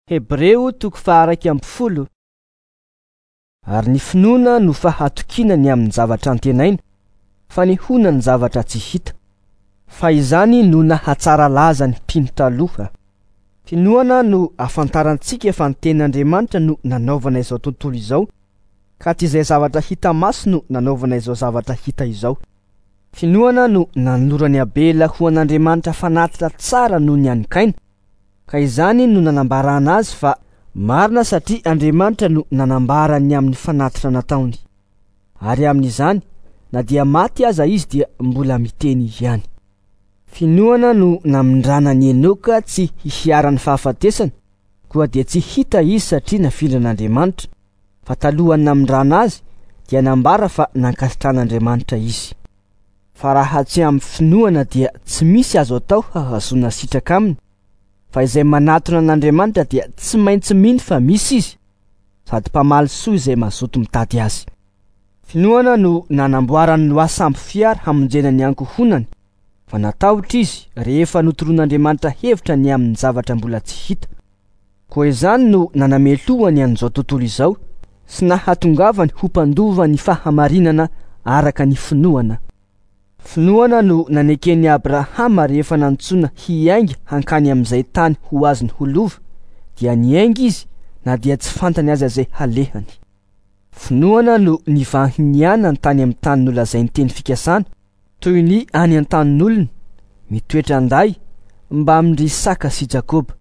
Hebreo toko faha-11. Ary ny finoana no fahatokiana ny amin'ny zavatra antenaina, fanehoana ny zavatra tsy hita. Fa izany no nahatsara laza ny mpino taloha. Finoana no ahafantarantsika fa ny tenin'Andriamanitra no nanaovana izao tontolo izao, ka tsy izay zavatra hita maso no nanaovana izao zavatra hita izao. Finoana no nanoloran'i Abela ho an'Andriamanitra fanatitra tsara noho ny an'i Kaina, ka izany no nanambarana azy fa marina satria Andriamanitra no nanambara ny amin'ny fanatitra nataony. Ary amin'izany, na dia maty aza izy dia mbola miteny ihany. Finoana no namindrana an'i Enoka tsy hiharan'ny fahafatesana, koa dia tsy hita izy satria nafindran'Andriamanitra, fa talohan'ny namindrana azy dia nambara fa nankasitran'Andriamanitra izy. Fa raha tsy amin'ny finoana dia tsy misy azo atao hahazoana sitraka aminy, fa izay manatona an'Andriamanitra dia tsy maintsy mino fa misy izy, sady mpamaly soa izay mazoto mitady azy. Finoana no nanamboaran'i Noa sambo fiara hamonjena ny ankohonany, fa natahotra izy rehefa notoroan'Andriamanitra hevitra ny amin'ny zavatra mbola tsy hita. Koa izany no nanamelohany an'izao tontolo izao sy nahatongavany ho mpandova ny fahamarinana araka ny finoana. Finoana no naneken'i Abrahama rehefa nantsoina hiainga hankany amin'izay tany ho azony ho lova, dia niainga izy na dia tsy fantany aza izay halehany. Finoana no nivahinianany tany amin'ny tany nolazain'ny teny fikasana, toy ny any an-tanin'olona, mitoetra an-day, mbamin-dry Isaka sy Jakoba,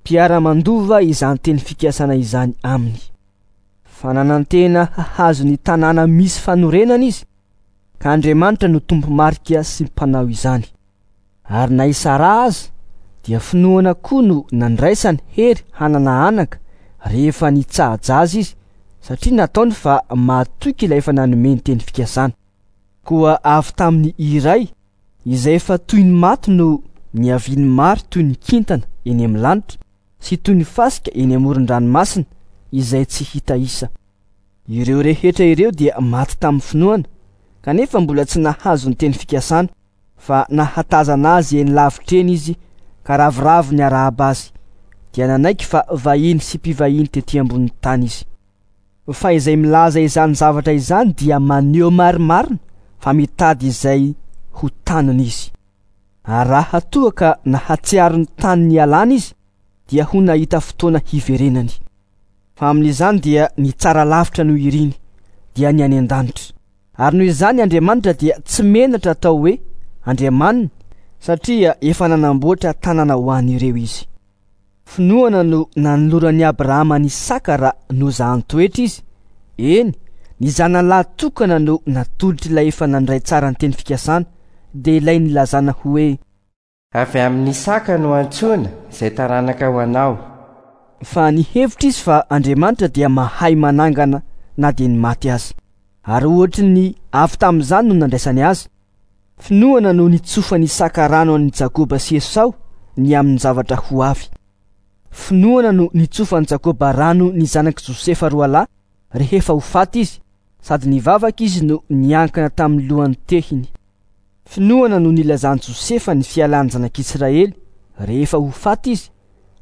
mpiara-mandova izany teny fikasana izany aminy. Fa nanantena hahazo ny tanàna misy fanorenana izy, ka Andriamanitra no tompo-marika sy mpanao izany. Ary na i Saraha aza dia finoana koa no nandraisany hery hanana anaka rehefa nitsaha-jaza izy, satria nataony fa mahatoky ilay efa nanome ny teny fikasana. Koa avy tamin'ny iray izay efa toy ny maty no niavian'ny maro toy ny kintana eny amin'ny lanitra sy toy ny fasika eny amoron-dranomasina izay tsy hita isa. Ireo rehetra ireo dia maty tamin'ny finoana, kanefa mbola tsy nahazo ny teny fikasana, fa nahatazana azy eny lavitra eny izy ka ravoravo niarahaba azy, dia nanaiky fa vahiny sy mpivahiny tety ambonin'ny tany izy. Fa izay milaza izany zavatra izany dia maneho marimarina fa mitady izay ho taniny izy. Ary raha toa ka nahatsiaro ny tany nialany izy, dia ho nahita fotoana hiverenany. Fa amin'izany dia ny tsara lavitra no iriny, dia ny any an-danitra. Ary noho izany Andriamanitra dia tsy menatra atao hoe Andriamaniny, satria efa nanamboatra tanàna ho an'ireo izy. Finoana no nanoloran'i Abrahama an'i Isaka raha nozahan-toetra izy, eny, ny zanany lahy tokana no natolotr'ilay efa nandray tsara ny teny fikasana, dia ilay nilazana hoe. Avy amin'i Isaka no antsoina izay taranaka ho anao. Fa nihevitra izy fa Andriamanitra dia mahay manangana na dia ny maty aza. Ary ohatry ny avy tamin'izany no nandraisany azy. Finoana no nitsofan'i Isaka rano an'i Jakoba sy Esao ny amin'ny zavatra ho avy. Finoana no nitsofan'i Jakoba rano ny zanak'i Josefa roalahy rehefa ho faty izy, sady nivavaka izy no niankina tamin'ny lohan'ny tehiny. Finoana no nilazan'i Josefa ny fialan'ny zanak'Israely rehefa ho faty izy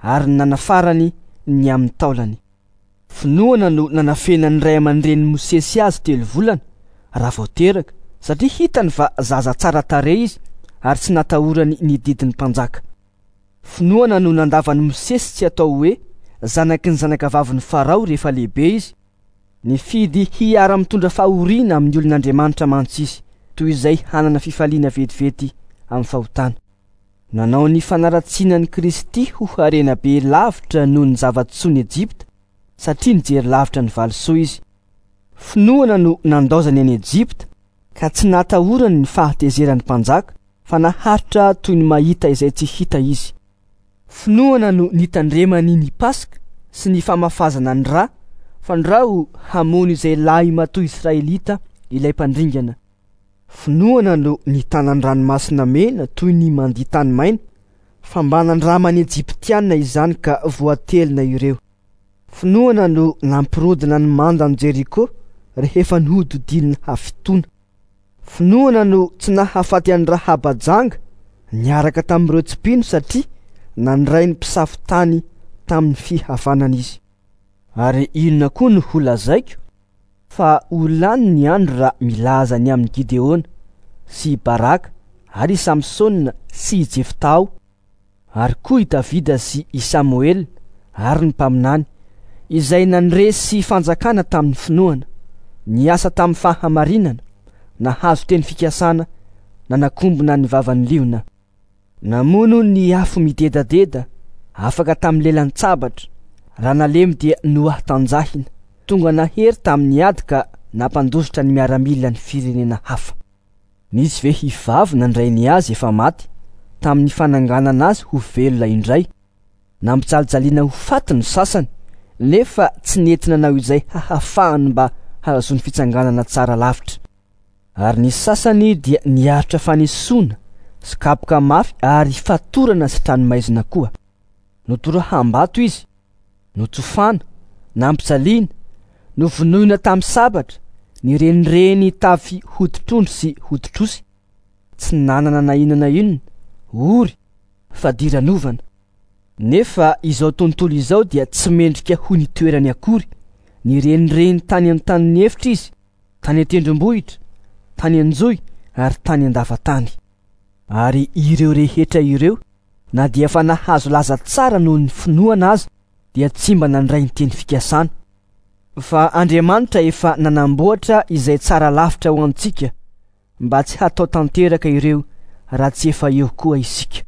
ary ny nanafarany ny amin'ny taolany. Finoana no nanafenan'ny ray aman-drenin'i Mosesy azy telo volana raha vao teraka, satria hitany fa zaza tsara tarehy izy ary tsy natahorany ny didin'ny mpanjaka. Finoana no nandavan'i Mosesy tsy atao hoe zanaky ny zanakavavin'i Farao rehefa lehibe izy. Nifidy hiara-mitondra fahoriana amin'ny olon'Andriamanitra mantsy izy, toy izay hanana fifaliana vetivety amin'ny fahotana. Nanao ny fanaratsiana an'i Kristy ho harena be lavitra noho ny zava-tsoan'i Ejipta, satria nijery lavitra ny valisoa izy. Finoana no nandaozany an'i Ejipta, ka tsy natahorany ny fahatezeran'ny mpanjaka, fa naharitra toy ny mahita izay tsy hita izy. Finoana no nitandremany ny Paska sy ny famafazana ny ra, fandrao hamono izay lahimatoa Israelita ilay mpandringana. Finoana no nitana ny ranomasina mena toy ny mandia tany maina, fa mba nandraman'ny Ejiptiana izany ka voatelina ireo. Finoana no nampirodana ny mandan'i Jeriko rehefa nohodidinina hafitoana. Finoana no tsy nahafaty an'i Rahaba janga niaraka tamin'ireo tsy mpino satria nandray ny mpisafo tany tamin'ny fihavanana izy. Ary inona koa no holazaiko? Fa ho lany ny andro raha milaza ny amin'i Gideona sy i Baraka ary i Samsona sy i Jefta aho, ary koa i Davida sy i Samoela ary ny mpaminany, izay nandresy fanjakana tamin'ny finoana, niasa tamin'ny fahamarinana, nahazo teny fikasana, nanakombona ny vavan'ny liona. Namono ny afo midedadeda, afaka tamin'ny lelan-tsabatra, raha nalemy dia nohatanjahina, tonga nahery tamin'ny ady ka nampandositra ny miaramilan'ny firenena hafa. Nisy vehivavy nandray ny azy efa maty tamin'ny fananganana azy ho velona indray. Nampijalijaliana ho faty ny sasany, nefa tsy nety nanao izay hahafahany mba hahazoany fitsanganana tsara lavitra. Ary ny sasany dia niaritra fanesoana sy kapoka mafy ary fatorana sy tranomaizina koa. Notoraham-bato izy, notsofana, nampijaliana, novonoina tamin'ny sabatra, nirenireny tafy hoditr'ondry sy hoditr'osy, tsy nanana na inona na inona, ory, fadiranovana. Nefa izao tontolo izao dia tsy mendrika ho nitoerany akory, nirenireny tany an-tanin'ny efitra izy, tany an-tendrombohitra, tany an-johy ary tany an-dava-tany. Ary ireo rehetra ireo, na dia efa nahazo laza tsara noho ny finoana aza, dia tsy mba nandray ny teny fikasana. Fa Andriamanitra efa nanamboatra izay tsara lavitra ho antsika, mba tsy hatao tanteraka ireo raha tsy efa eo koa isika.